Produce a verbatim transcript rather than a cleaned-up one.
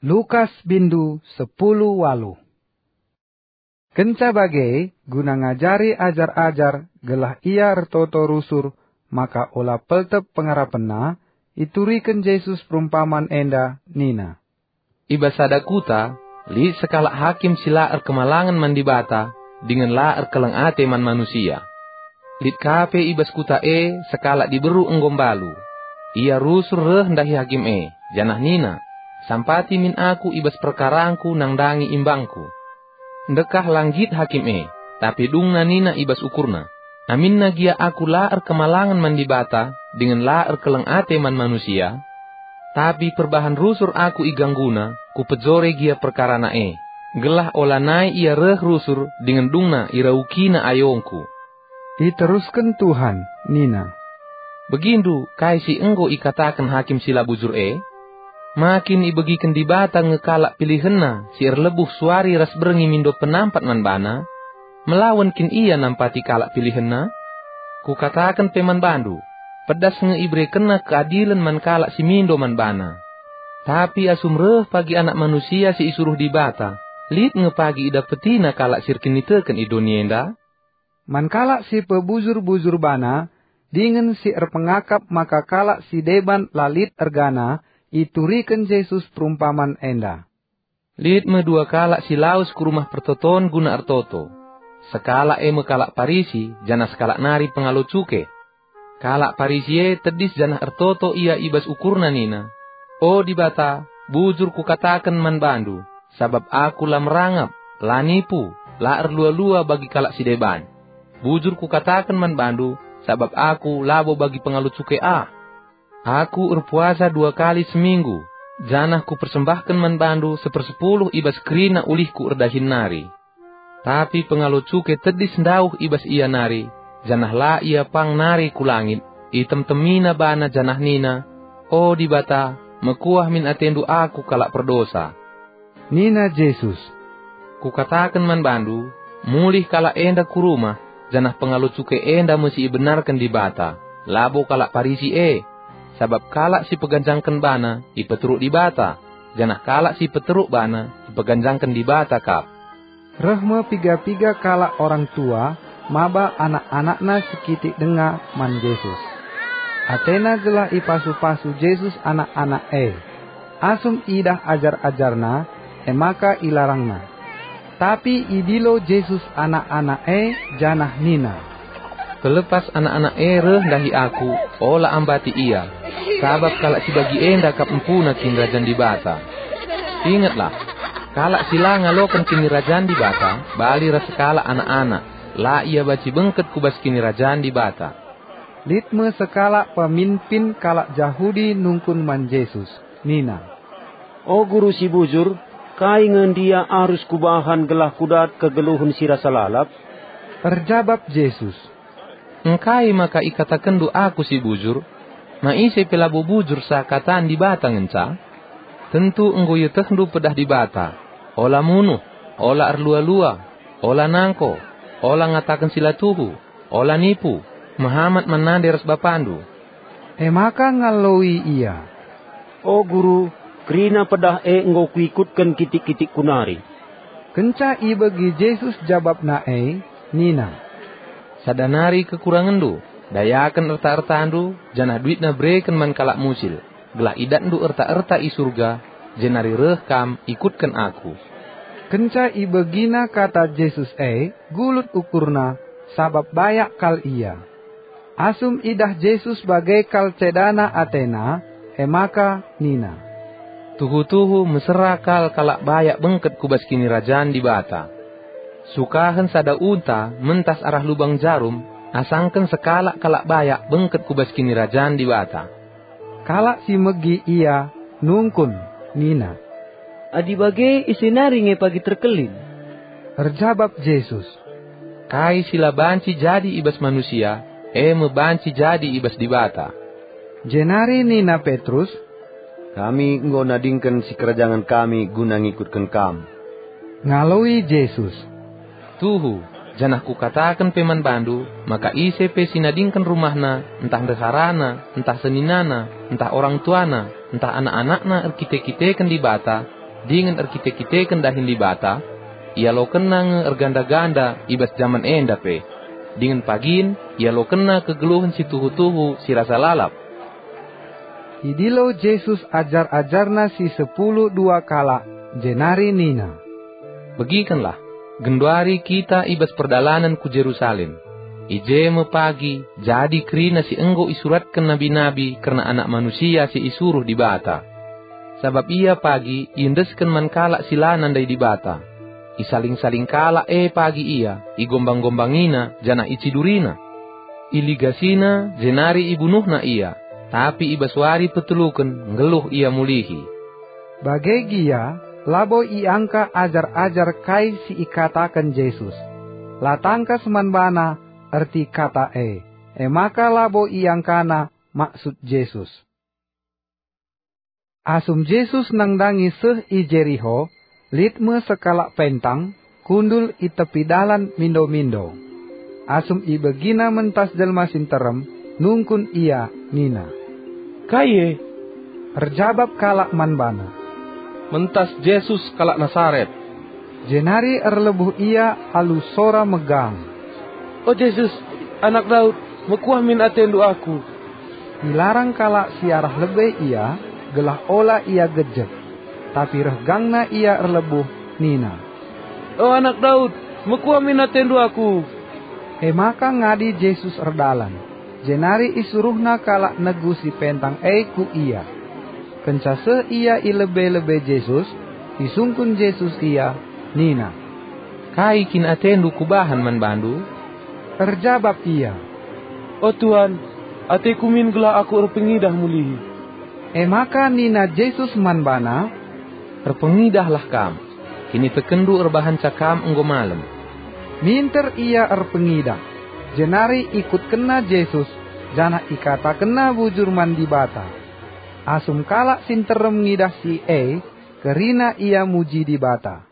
Lukas bindu sepuluh waluh. Kenca bage, guna ngajari ajar-ajar gelah ia ertoto rusur maka ola peltep pengarapenna, ituriken Jesus perumpaman enda nina, "I bas sada kuta, lit sekalak hakim si la erkemalangen man Dibata dingen la erkeleng ate man manusia. Lit ka pe i bas kuta e sekalak diberu enggo mbalu. Ia rusur reh ndahi hakim e, janah nina, 'Sampati min aku i bas perkarangku nandangi imbangku.' Ndekah la nggit hakim e, tapi dungna nina i bas ukurna, 'Aminna gia aku la erkemalangen man Dibata dingen la erkeleng ate man manusia, tapi perbahan rusur aku igangguna, kupejore gia perkarana e, gelah olanai ia reh rusur dingen dungna iraukina ayongku.'" Iterusken Tuhan nina, "Begindu kai si enggo ikataken hakim si la bujur e? Ma kin ibegiken Dibata nge kalak pilihenNa si erlebuh suari ras berngi mindo penampat man baNa? Melawen kin Ia nampati kalak pilihenNa? Kukataken pe man bandu, pedas nge iberekenNa keadilen man kalak si mindo man baNa. Tapi asum reh pagi Anak Manusia si isuruh Dibata, lit nge pagi idapetina kalak si erkiniteken i doni enda?" Man kalak si pebujur-bujur bana, dingen si erpengakap maka kalak si deban la lit ergana, ituriken Jesus perumpaman enda. Lit me dua kalak si lawes ku rumah pertoton guna ertoto. Sekalak e me kalak Parisi, janah sekalak nari pengalo cuke. Kalak Parisi e tedis janah ertoto ia i bas ukurna nina, "O Dibata, bujur kukataken man bandu, sabap aku la merangap, la nipu, la erlua-lua bagi kalak si deban. Bujur kukataken man bandu, sabap aku labo bagi pengalo cuke ah. Aku erpuasa dua kali seminggu, janah kupersembahken man bandu sepersepuluh i bas kerina ulihku erdahin nari." Tapi pengalo cuke tedis ndauh i bas ia nari, janah la ia pang nari ku langit, itemtemina bana janah nina, "O Dibata, mekuah min atendu aku kalak perdosa." Nina Jesus, "Kukataken man bandu, mulih kalak enda ku rumah, janah pengalo cuke enda me si ibenarken Dibata, labo kalak Parisi e. Sabap kalak si peganjangken bana ipeteruk Dibata, janah kalak si peteruk bana ipeganjangken Dibata kap." Reh me piga-piga kalak orang tua maba anak-anakna si kitik denga man Jesus. Atena gelah ipasu-pasu Jesus anak-anak e. Asum idah ajar-ajarNa, e maka ilarangna. Tapi idilo Jesus anak-anak e janah nina, "Pelepas anak-anak e reh ndahi Aku, ola ambati ia, sabap kalak si bagi enda kap empuna Kinirajan Dibata. Ingetlah, kalak si la ngaloken Kinirajan Dibata bali ras sekalak anak-anak, la ia banci bengket ku bas Kinirajan Dibata." Lit me sekalak peminpin kalak Jahudi nungkun man Jesus, nina, "O Guru si bujur, kai nge ndia arus kubahan gelah kudat kegeluhen si rasa lalap?" Erjabap Jesus, "Engkai maka ikatakenndu Aku si bujur? Ma ise pe labo bujur seakatan Dibata ngenca? Tentu enggo ietehndu pedah Dibata, 'Ola munuh, ola erlua-lua, ola nangko, ola ngataken si la tuhu, ola nipu, mehamat man nande ras bapandu.'" E maka ngaloi ia, "O Guru, kerina pedah e enggo kuikutken kitik-kitikku nari." Kenca ibegi Jesus jabapna e, nina, "Sada nari kekurangenndu, dayaken erta-ertandu, janah duitna bereken man kalak musil, gelah idatndu erta-erta i Surga, jenari reh kam ikutken Aku." Kenca ibegina kata Jesus e, gulut ukurna, sabap bayak kal ia. Asum idah Jesus bage kal cedana atena, e maka nina, "Tuhu-tuhu mesera kal kalak bayak bengket ku bas Kinirajan Dibata. Sukahen sada unta mentas arah lubang jarum, asangken sekalak kalak bayak bengket ku bas Kinirajan Dibata." Kalak si megi ia nungkun nina, "Adi bage, ise nari nge pagi terkelin?" Erjabap Jesus, "Kai si la banci jadi i bas manusia, e me banci jadi i bas Dibata." Jenari nina Petrus, "Kami enggo nadingken sikerajangen kami guna ngikutken Kam." Ngaloi Jesus, "Tuhu, janah Kukataken pe man bandu, maka ise pe si nadingken rumahna, ntah ndeharana, ntah seninana, ntah orang tuana, ntah anak-anakna erkite-kiteken Dibata, dingen erkite-kiteken dahin Dibata, ialokenna nge erganda-ganda i bas jaman enda pe, dingen pagin ialokenna kegeluhen si tuhu-tuhu si rasa lalap. Idilo Jesus ajar-ajarNa si sepuluh dua kalak, jenari nina, "Begikenlah, genduari kita i bas perdalanen ku Jerusalem. I je me pagi jadi kerina si enggo isuratken nabi-nabi kerna Anak Manusia si isuruh Dibata. Sabap ia pagi iendesken man kalak si la nandai Dibata. Isaling-saling kalak e pagi ia, igombang-gombangina, janah icidurina. IligasiNa, jenari ibunuhNa ia, tapi i bas wari peteluken nggeluh ia mulihi." Bage gia, labo iangka ajar-ajar kai si ikataken Jesus. La tangkas man bana erti kata e, e maka labo iangkana maksud Jesus. Asum Jesus nandangi seh i Jeriho, lit me sekalak pentang, kundul i tepi dalan mindo-mindo. Asum ibegina mentas jelma si nterem, nungkun ia nina, "Kai e?" Erjabap kalak man bana, "Mentas Jesus kalak Nasaret." Jenari erlebuh ia alu sora megang, "O Jesus, Anak Daud, mekuah min atendu aku!" Ilarang kalak si arah lebe ia, gelah ola ia gejek. Tapi reh gangna ia erlebuh, nina, "O Anak Daud, mekuah min atendu aku!" E maka ngadi Jesus erdalan, jenari isuruhNa kalak negu si pentang e ku Ia. Kenca seh ia i lebe-lebe Jesus, isungkun Jesus ia, nina, "Kai kin atendu kubahan man bandu?" Erjabap ia, "O Tuan, ateku min gelah aku erpengidah mulihi." E maka nina Jesus man bana, "Erpengidahlah kam, kinitekenndu erbahanca kam enggo malem." Minter ia erpengidah, jenari ikutkenna Jesus, janah ikatakenna bujur man Dibata. Asum kalak si nterem ngidah si e, kerina ia muji Dibata.